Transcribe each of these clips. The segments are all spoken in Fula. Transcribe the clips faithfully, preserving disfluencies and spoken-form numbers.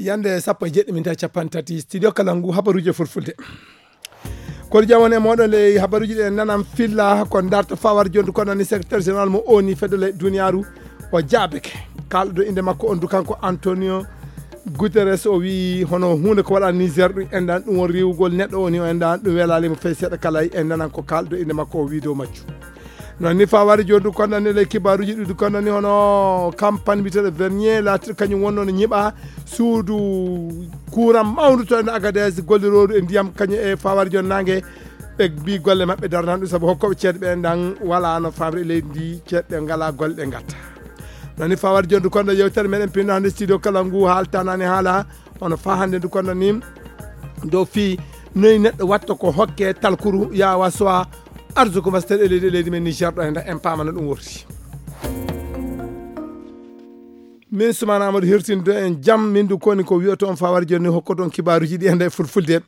Yande sappo e jeɗɗi min tawi capanɗe tati, studio kala ngu habaruji e fulfulde. Kono jam woni e moɗon le habaruji ɗe nanan filla ko darta fawar jondu kono ni secrétaire général mo oni fedele duniyaru o jaabeke. Kalɗo inde makko on du kanko Antonio Guterres o wi hono hunde ko waɗa Niger ɗum endan ɗum won riwugol neɗɗo oni o endan ɗum welali mo fey seeɗa kala e nanan ko kalɗo inde makko o wi dow majju. Non ni fawari joni ɗum konɗan ni le kibaruji ɗuɗi konɗan ni hono campagne mbiteɗo vernier laatiɗo kañum wonno no ñiɓa suudu courant mawndu to ene Agadez gollirodu e ndiyam kañum e fawari joni nangue. Ɓe mbi golle maɓɓe darnan ɗum saabu hokkoɓe ceeɗe ɓe ndan wala no famre e leydi ndi ceeɗe ɓe ngala golle ɓe gatta. Non ni fawari joni ɗum konɗan yewtere meɗen pinno hande studio kala ngu haaltanani haala hono fa hande ndu konɗan ni dow fii noyi neɗɗo watta ko hokke talkuru yawa sowa arsuko mastere e leydi e leydi men Niger ɗo e nder en pamana ɗum worti. Min sumana amadou hirtindo en jam min du koni ko wiyoto on fawar jonni hokkoto on kibaruji ɗi enda e fulfulde.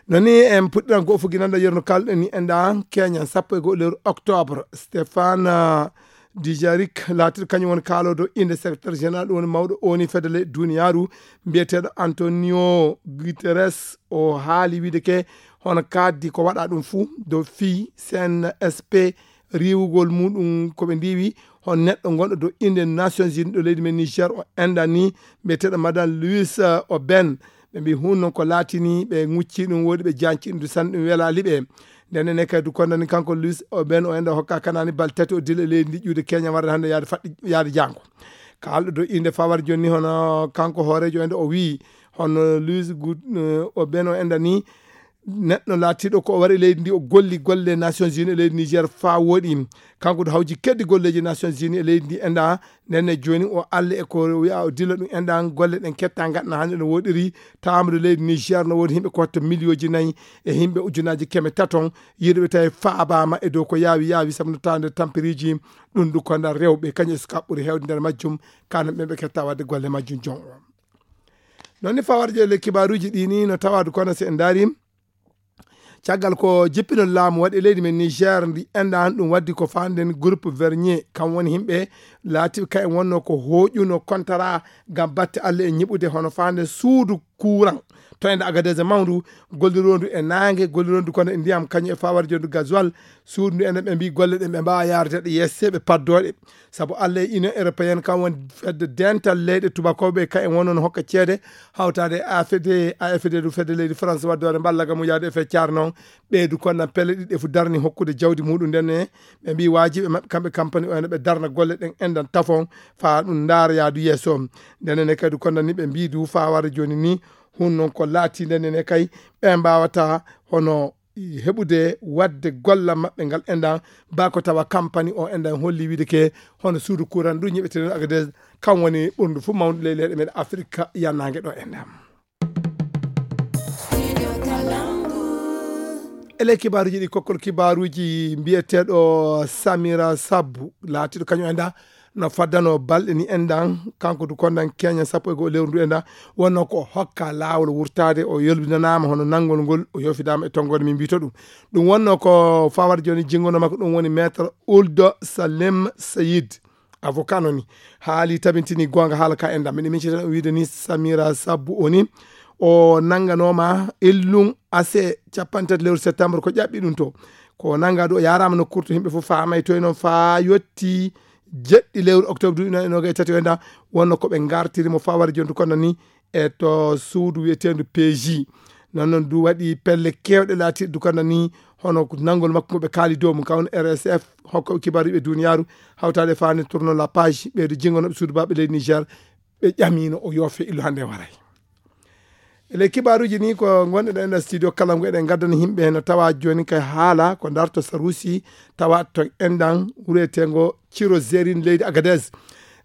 Noni en puɗɗiran go fuginanda yerno kalɗen ni enda keñan sappo e go lewru octobre stéphane Dijarik laatiɗo kañum woni kaalodo inde secrétaire général ɗum woni mawɗo oni fedele duniyaru mbiyeteɗo Antonio Guterres o haali wiide ke hono kaddi ko waɗa ɗum fuu dow fii C N S P riiwugol muɗum ko ɓe ndiwi hon neɗɗo gonɗo dow inde Nations Unies ɗo leydi men Niger o enɗan ni mbiyeteɗo madame Louis Oben. Ɓe mbi hun noon ko laatini ɓe ŋucci ɗum woɗi ɓe janci ɗum sanne ɗum welali ɓe. Nden ene kadi du kondani kanko Luis o ɓen o enda hokka kanani bal tati o dilla e leydi ndi ƴuude Kenya warde hande yaade faɗɗi yaade jango. Kalɗo do inde fawar jonni hono kanko hoorejo ende o wi hono Luis o ɓen o enda ni neɗɗo laatiɗo ko o wari e leydi ndi o golli golle Nations Unies e leydi Niger fa woɗi. Kanko do hawji keddi golleji Nations Unies e leydi ndi enda nenne joni o alla e ko wiya o dilla ɗum enɗan golle ɗen ketta gaɗana hande no woɗiri. Tamde leydi Niger no wodi himɓe ko watta miliyoji nayi e himɓe ujunaji keme taton yiɗuɓe tawi faabama e dow ko yaawi yaawi sabu no tawde tampiriji ɗum ɗum ko nder rewɓe kañum e sukaɓe ɓuri hewde nder majjum kanan ɓe ɓe ketta wadde golle majjum jon o. Non ni fawarje le kibaruji ɗi ni no tawade kono si en daari caggal ko jippinol laamu waɗi e leydi men Niger ndi enɗan ɗum waddi ko fanden groupe vernier kam woni himɓe laatiɓe ka en wonno ko hoƴuno kontara ngam batte Allah e ñiɓude hono fanden suudu courant to ende Agadez mawndu gollirondu e nangue gollirondu kono e ndiyam kañum e fawar jondu gasoil suudu ndu enen ɓe mbi golle ɗen ɓe mbawa yarude ɗe yesse ɓe paddoɗe saabu Allah e Union Européenne kam woni fedde dental leyɗe tubakoɓe ka en wonno no hokka ceede hawtade e A F D A F D ɗum fedde leydi France wadde waɗa mballa gam yaade e feccar noon ɓeydu konnan pelle ɗiɗi e fu darni hokkude jawdi muɗum nden e ɓe mbi wajiɓe maɓɓe kamɓe campagne o ene ɓe darna golle ɗen enɗan tafon fa ɗum ndaara yaadu yeeso nden ene kadi konnan ni ɓe mbi du fa warde joni ni hun noon ko laati nden ene kay ɓe mbawata hono heɓude wadde gollal maɓɓe ngal enɗan ba ko tawa campagne o enɗan holli wiide ke hono suudu courant ɗum ñiɓeteno Agadez kam woni ɓurndu fof mawde ley leyɗe meɗen Afrique yannage ɗo enɗan. E ley kibaruji ɗi kokkol kibaruji mbiyeteɗo Samira Sabbu laatiɗo kañum enɗan no faddano balɗe ni enɗan kanko du konɗan keña sappo e goho lewru ndu enɗan wonno ko hokka laawol wurtaade o yolbinanaama hono nanngol ngol o yofidama e tonngode min mbiyto ɗum ɗum wonno ko fawar joni jinngono makko ɗum woni maître Ould Salem Sayid avocat no ni haali tabintini goonga haala ka enɗan miɗo miccita o wiide ni Samira Sabbu o ni o nannganoma illum ase capanɗe tati lewru septembre ko ƴaɓɓi ɗum to ko nannga ɗo yarama no kurto yimɓe fof famay toy noon fa yetti jeɗɗi lewru octobre duuɓi noon e noga e tati o enɗan wonno koɓe gartiri mo fawar jondu kono ni e to suudu wiyetendu P J. Noon noon du waɗi pelle kewɗe laatiɗe du kono ni hono nanngol makko ngo ɓe kaali dow mum kawno R S F hokkoɓe kibaruɓe duniyaru hawtade fani tourno la page ɓeydo jingonoɓe suudu baɓe leydi Niger ɓe ƴamino o yoofe illu hande waray. E ley kibaruji ni ko gonɗe ɗo e nder studio kala ngo eɗen gaddana yimɓe no tawa joni kay haala ko darto sarusi tawa to enɗan wuretengo Ciro Zerin leydi Agadez.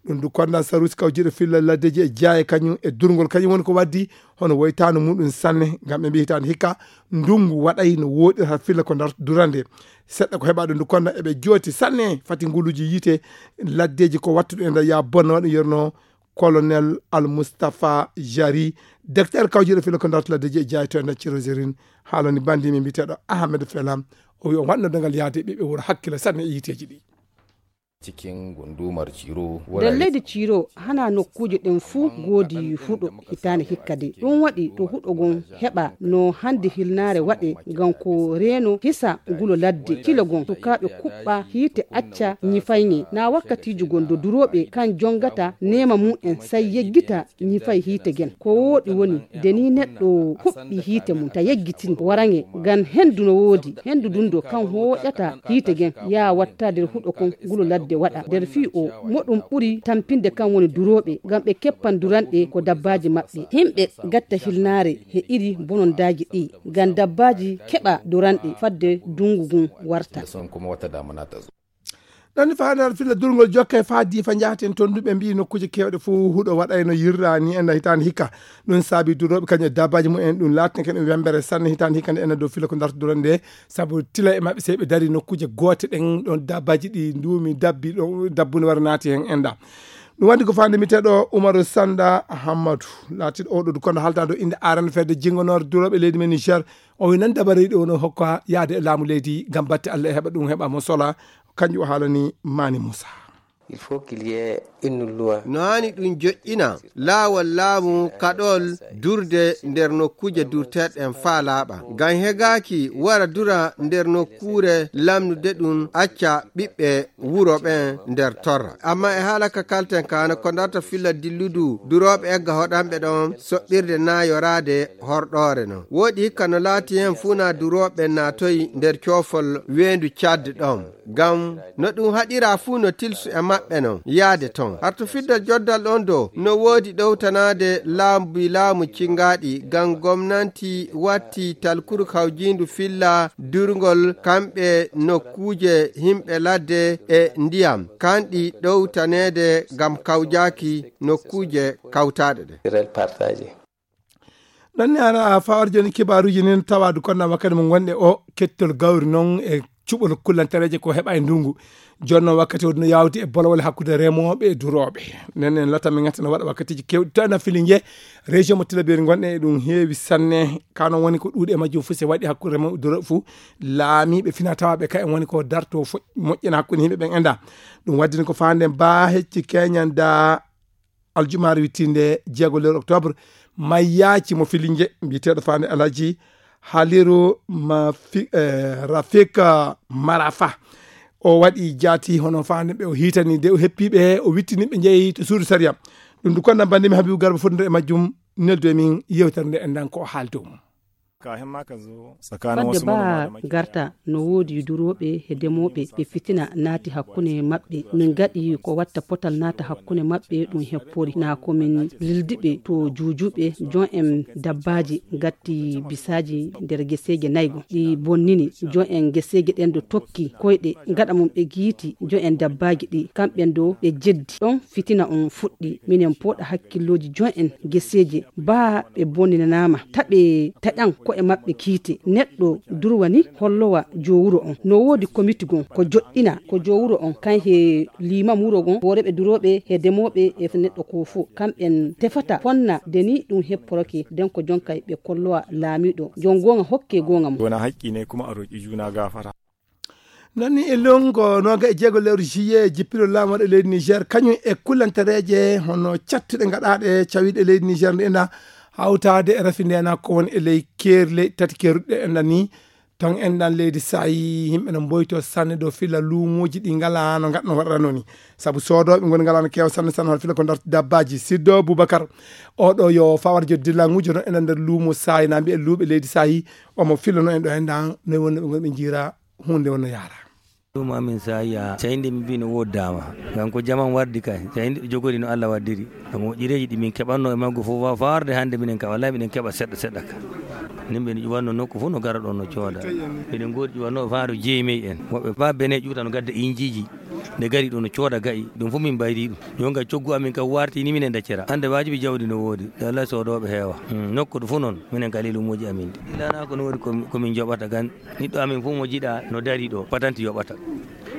Ɗum du kondan sarusi kawjiɗo filla laddeji e jaaye kañum e durgol kañum woni ko waddi hono woytano muɗum sanne ngam ɓe mbi hitande hikka ndungu waɗay no woɗirta filla ko darto durande. Seɗɗa ko heɓa ɗum du kondan eɓe jooti sanne fati nguluji yiite laddeji ko wattuɗo e nder ya bonna waɗum yerno colonel Al Mustafa Jari, docteur kawjiɗo filo ko dartula deji e jaayi to e nder Cirozirin, haalani bandi mi mbiteɗo Ahmed Felam, o wi o waɗno dangal yaade ɓiɓɓe wuro hakkila sanne e yiteji ɗi. Cikin gundumar Ciro, nder leydi Ciro, hana nokkuuje ɗen fuu ngoodi huɗo hitaande hikka de. Ɗum waɗi to huɗo ngon heɓa no hannde hilnaare waɗe, ngam ko reeno hisa ngulo ladde. Cilo ngon, sukaaɓe kuɓɓa hiite acca ñifayŋe. Na wakkatiiji gon do durooɓe kan jongata neema mum en, say yeggita ñifay hiite gen. Ko wooɗi woni, de ni neɗɗo huɓɓi hiite mum, ta yeggitin waraŋe, ngam hendu no woodi. Hendu dun do kan hooƴata hiite gen, yaa watta nder huɗo kon ngulo ladde waɗa. Nder fii o, mo ɗum ɓuri tampinde kan woni durooɓe, ngam ɓe keppan duranɗe ko dabbaaji maɓɓe. Himɓe gatta hilnaare he iri bonondaaji ɗi, ngam dabbaaji keɓa duranɗe fadde dungu ngun warta. Ɗon ni faandaare filla durngol jokke faa diifa njaaten toon duɓe mbiyi nokkuuje keewɗe fof huɗo waɗayno yirraani enda hitaande hikka. Ɗum saabi durooɓe kañum e dabbaaji mum en ɗum laatni kañum wembere sanne hitaande hikka nde ena dow filla ko darta durande nde. Sabu tila e maɓɓe sey ɓe dari nokkuuje goote ɗen ɗon dabbaaji ɗi nduumi dabbi ɗo dabbunde wara naati heen enda. Ɗum waɗi ko faande mbiyeteeɗo Umaru Sanda Hammadu. Laatiiɗo oɗo kono haalta dow innde arano fedde jingonoore durooɓe leydi men Niger. O wi nan dabare ɗo no hokka yaade e laamu leydi ngam batte Allah e heɓa ɗum heɓa mo sola. Kanƴum o haalani Mani Moussa. Il faut qu'il y ait une loi. No haani ɗum joƴƴina laawol laamu kaɗol durde nder nokkuuje durteeɗen faa laaɓa. Ngam hegaaki wara dura nder nokkuure lamnude ɗum acca ɓiɓɓe wuro ɓen nder torra. Amma e haala ka kalten kaana ko darta filla dilludu durooɓe egga hoɗanɓe ɗon soɓɓirde naa yoraade horɗoore non. Wooɗi hikka no laati heen fuu naa durooɓe naatoyi nder coofol weendu Caad ɗon. Ngam no ɗum haɗiraa fuu no tilsu e maɓɓe non yaade ton. Harto fiddal joddal ɗon do no woodi ɗowtanaade laabi laamu cingaaɗi ngam gomnanti watti talkuru kawjiindu filla durngol kamɓe nokkuuje himɓe ladde e ndiyam kanɗi ɗowtaneede ngam kawjaaki nokkuuje kawtaaɗe ɗe. Ɗon ni ara fawar jooni kibaaruuji nin tawaadu konna wakkati mo ngonɗe o kettol gawri noon e cuɓol kullantareeje ko heɓa e ndungu. Jooni noon wakkati o no yawti e bolowole hakkude remooɓe e durooɓe. Nen en lota min ngata no waɗa wakkatiiji kewɗi to ena fili nje région mo tilaberi ngonɗe e ɗum heewi sanne. Kano woni ko ɗuuɗi e majjum fof se waɗi hakkude remooɓe durooɓe fof laamiiɓe fina tawaaɓe ka en woni ko darto fo- moƴƴina hakkude yimɓe ɓen enda. Ɗum waddini ko faande mba hecci keñan da aljumaare wittiinde jeego lewru octobre, mayyaaci mo filinje mbiyeteeɗo faande Alhaji Haliru Mafi- eh, Rafik Marafa. O waɗi jaati hono faande ɓe o hiitani de o heppiiɓe he o wittini ɓe njeyi to suudu sariya. Ɗum du konna banndi mi Habibu Garba fotndo e majjum neldu e min yewtere nde en nan ko o haali dow mum. Fadde baa garta no woodi durooɓe e demooɓe e fitina naati hakkunde maɓɓe. Min gaɗi ko watta potal naata hakkunde maɓɓe ɗum heppori. Na ko min lildiɓe to juujuɓe jon en dabbaaji gatti bisaaji nder geseeje naygo. Ɗi bonnini jon en geseeje ɗen do tokki koyɗe gaɗa mum ɓe giiti jon en dabbaaji ɗi. Kamɓen do ɓe jeddi. Ɗon fitina on fuɗɗi. Minen pooɗa hakkillooji jon en geseeje. Baa ɓe bonninanaama, taɓe taƴan ko'e maɓɓe kiite. Neɗɗo durwa ni hollowa jowuro on. No woodi komiti gon ko joɗɗina ko jowuro on kan he liimam wuro gon, hooreɓe durooɓe he demooɓe e neɗɗo ko fo. Kamɓen tefata fonna de ni ɗum hepporoke den ko jonkay ɓe kollowa laamiiɗo. Jon goonga hokke goonga mum. Wona haqqi ne kuma a roƴi juna gafara. Nani e longo noga e jeego lewru juillet jippiro laamu waɗa leydi Niger kañum e kullantareeje hono cattuɗe gaɗaaɗe cawiiɗe leydi Niger nde ena hawtaade e rafi ndena ko woni e ley keerle tati keeruɗe enɗan ni. Ton enɗan leydi saayi yimɓe no mboyto sanne ɗo fila luumooji ɗi ngala no gaɗano waɗata noon ni. Sabu soodooɓe ngoni ngala no keewa sanne sanne hono fila ko darti dabbaaji. Siddo Boubacar oɗo yo fawar joddi langujo no ena nder luumo saayi na mbiye luuɓe leydi saayi omo fila no en ɗo enɗan no wonno ɓe ngoni ɓe jiira hunde wonno yaara. Ɗum amin saya cayndi mi mbi no woddama ngam ko jaman wardi kay cayndi ɗo jogori no Allah waddiri. Ko moƴƴireeji ɗi min keɓanno e maggo fof wa faarde hannde minen ka wallahi miɗen keɓa seɗɗa seɗɗa ka. Nimɓe no ƴuwanno nokku fof no gara ɗon no cooda. Miɗen ngoodi ƴuwannooɓe faaro jeeyi mey en woɓɓe ba bene ƴuuta no gadda injiiji. Nde gari ɗo no cooda ga'i ɗum fof min mbayri ɗum. Jonga coggu amin kam warti ni minen daccira hannde waajibi jawdi no woodi. Wallahi soodooɓe heewa. Nokku ɗo fof noon minen ka lelumuuji amin ɗi. Ilana ko no woodi ko min joɓata gan. Niɗɗo amin fof mo jiɗa no dari ɗo patanti yoɓata.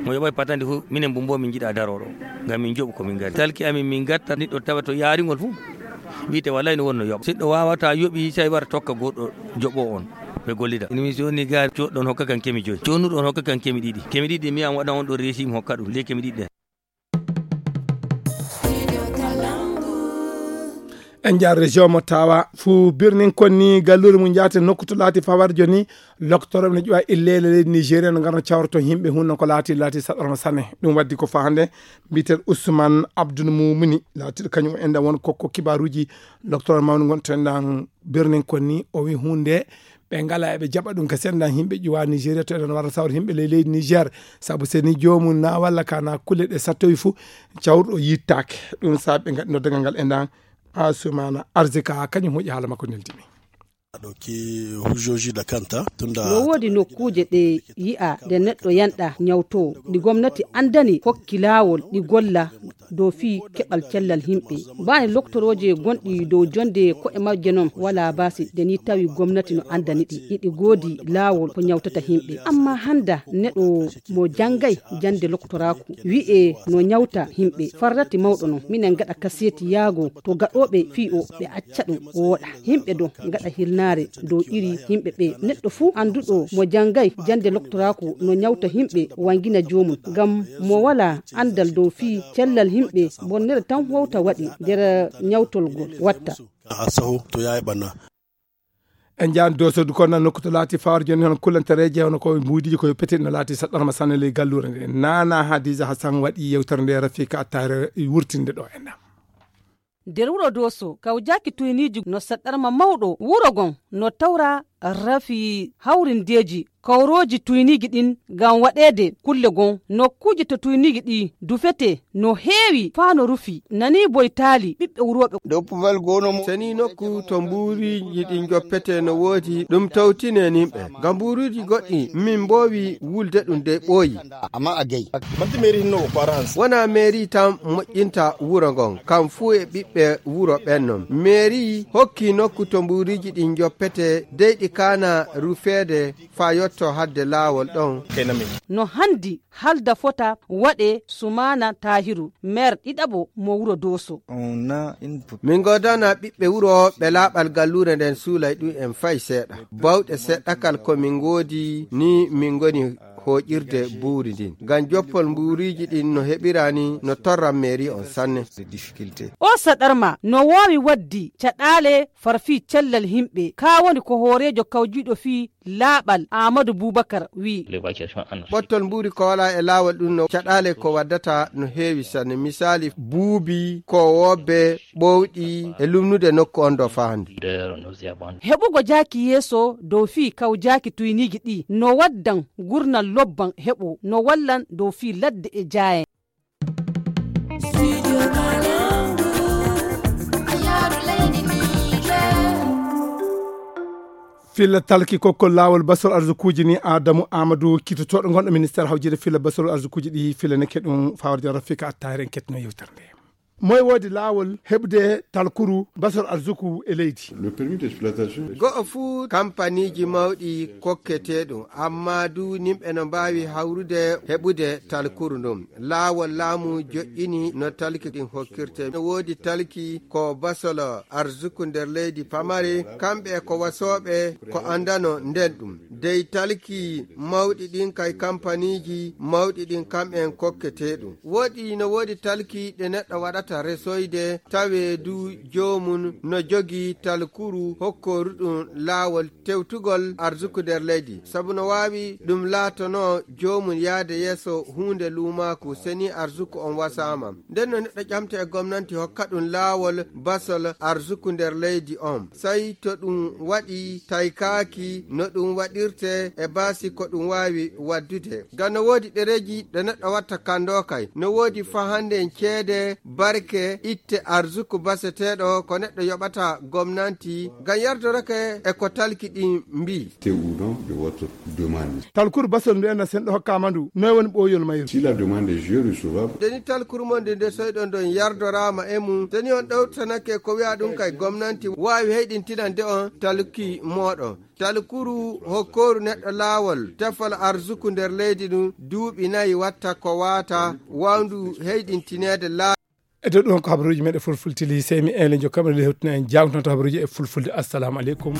Mo yoɓay patanti fof minen bumbo min jiɗa daroɗo. Ngam min joɓu ko min gari talki amin min gatta niɗɗo tawa to yaringol fof. Wiyte wallay no wonno yoɓa siɗɗo wawata yoɓi tawi wara tokka goɗɗo joɓo on. Ɓe gollida ene mi joni gari coɗɗon hokka kan kemi joyi conuɗon hokka kan kemi ɗiɗi kemi ɗiɗi mi an waɗa on ɗo resi mi hokka ɗum ley kemi ɗiɗi ɗen. En njaar région mo tawa fuu birnin kon ni galluure mum njaate nokku to laati fawar joni. Loktorooɓe ne ƴuwa illeele leydi Nigeria no ngarno cawroto yimɓe hun non ko laati, laati saɗɗorma sanne. Ɗum waddi ko fahande mbiten Ousmane Abdoul Moumouni laatiɗo kañum en ɗan won kokko kibaruuji. Loktorooɓe mawni ngon to en ɗan birnin kon ni o wi hunde ɓe ngala eɓe jaɓa ɗum ka sendan yimɓe ƴuwa Nigeria to eɗen wara sawra yimɓe ley leydi Niger. Sabu seni joomum na walla kana kulle ɗe sattoyi fu cawruɗo yittaake. Ɗum sabi ɓe ngaɗi noddagal ngal e ndan Asumana Arzika kañum huƴi haala makko neldimi. Aɗo ki hujjoji da kanta tunda no woodi nokkuuje ɗe yi'a nde neɗɗo yanɗa ñawto ɗi gomnati andani hokki laawol ɗi golla dow fii keɓal cellal yimɓe. Baane loktorooje gonɗi dow jonde ko'e majje non wala baasi de ni tawi gomnati no andani ɗi. Iɗi goodi laawol ko ñawtata yimɓe. Amma handa neɗɗo mo jangay jande loktoraaku wi'e no ñawta yimɓe. Farrati mawɗo non. Minen gaɗa kaseti yaago to gaɗooɓe fii o ɓe acca ɗum wooɗa. Yimɓe do gaɗa hirnaare dow iri yimɓe ɓe. Neɗɗo fuu anduɗo mo jangay jande loktoraaku no ñawta yimɓe wangina joomum. Ngam mo wala andal dow fii cellal yimɓe bonnere tan wawta waɗi nder ñawtolgol watta. A saho to yaay ɓanna. En jaan dosodu kon nan nokku to laati fawar joni hono kullantareeje hono ko mbuudiji ko petel no laati saɗɗorma sanne ley galluure nde. Nana Hadiza Hassan waɗi yewtere nde Rafika Attare wurtinde ɗo en ɗam. Nder wuro Doso, kawjaaki tuyniiji no saɗɗarma mawɗo wuro gon no tawra rafi hawrindeeji kawrooji tuyniiji ɗin ngam waɗeede kulle gon nokkuuje to tuyniiji ɗi dufete no heewi faa no rufi nani boytaali ɓiɓɓe wurooɓe. Dow puwal goono mo. Seni nokku to mbuuriiji ɗin joppete no woodi ɗum tawtine nimɓe. Ngam mbuuruuji goɗɗi min mboowi wulde ɗum dey ɓooyi. Amma a gay. Manti mairie hinno ko parents. Wona mairie tan moƴƴinta wuro ngon, kam fuu e ɓiɓɓe wuro ɓen non. Mairie hokki nokku to mbuuruuji ɗin joppete, dey ɗi kaana rufeede faa yotto hadde laawol ɗon. Kay nami. No handi halda fota waɗe Sumaana Tahiru, maire ɗiɗaɓo mo wuro Doso. On a une Min ngoodana ɓiɓɓe wuro ɓe laaɓal galluure nden suulay ɗum en fay seeɗa. Bawɗe seɗɗakal ko min ngoodi ni min ngoni hooƴirde buuri ndin. Ngam joppol mbuuriiji ɗin no heɓira ni no torran mairie on sanne. Difficulté. O saɗarma no waawi waddi caɗaale far fii cellal yimɓe. Kaa woni ko hooreejo kawjiiɗo fii laaɓal Aamadu Buubakar wii. Ɓottol mbuuri ko walaa e laawol ɗum no caɗaale ko waddata no heewi sanne. Misaali buubi, koowoobe, ɓowɗi e lumnude nokku on ɗo faandu. Heɓugo jaaki yeeso dow fii kaw jaaki tuyniiji ɗi no waddan gurnal lobban heɓo no wallan dow fii ladde e jaayen. Filla talki kokkol laawol basol arsukuuji ni Adamu Amadou kitotooɗo ngonɗo ministére hawjide filla basol arsukuuji ɗi filla nekke ɗum fawar jon Rafika Attahir en kettino yewtere nde. Moy woodi laawol heɓde talkuru basol arsuku e leydi? Le permis d'exploitation. Go'o fuu kampaniiji mawɗi kokketeeɗum, amma du nimɓe no mbaawi hawrude heɓude talkuru ndum. Laawol laamu joƴƴini no talki ɗin hokkirte. No woodi talki ko basol arsuku nder leydi pamari, kamɓe e ko wasooɓe ko andano nden ɗum. Dey talki mawɗi ɗin kay kampaniiji mawɗi ɗin kam'en kokketeeɗum. Woodi no woodi talki ɗe neɗɗo waɗata resoyde, tawee du joomum no jogii talkuru hokkooruɗum laawol tewtugol arsuku nder leydi. Sabu no waawi ɗum laatonoo joomum yaade yeeso huunde luumaaku seni arsuku on wasaama. Nden no neɗɗo ƴamta e gomnanti hokka ɗum laawol basol arsuku nder leydi on. Sey to ɗum waɗi taykaaki no ɗum waɗirte e baasi ko ɗum waawi waddude. Ngam no woodi ɗereeji ɗe neɗɗo watta kandoo kay. No woodi fahande en ceede barke itte arsuku baseteeɗo ko neɗɗo yoɓata gomnanti ngam yardorake e ko talki ɗin mbii. Te ou non de votre demande. Talkuru basol ndu enna sen ɗo hokkaama ndu, noy woni ɓooyol mayru? Si la demande est recevable. Deni talkuru mon nde nde soyɗon ɗon yardoraama e mum, deni on ɗowtanake ko wi'a ɗum kay gomnanti waawi heyɗintinande on talki mooɗon. Talkuru hokkooru neɗɗo laawol tefol arsuku nder leydi ndun duuɓi nayi watta ko waata waawndu heyɗintineede laa. E dow ɗum ko habaruuji meɗen fulfultili, sey mi eele jokka meɗen hewtina en jangtonto habaruuji e fulfulde. Assalamu aleykum.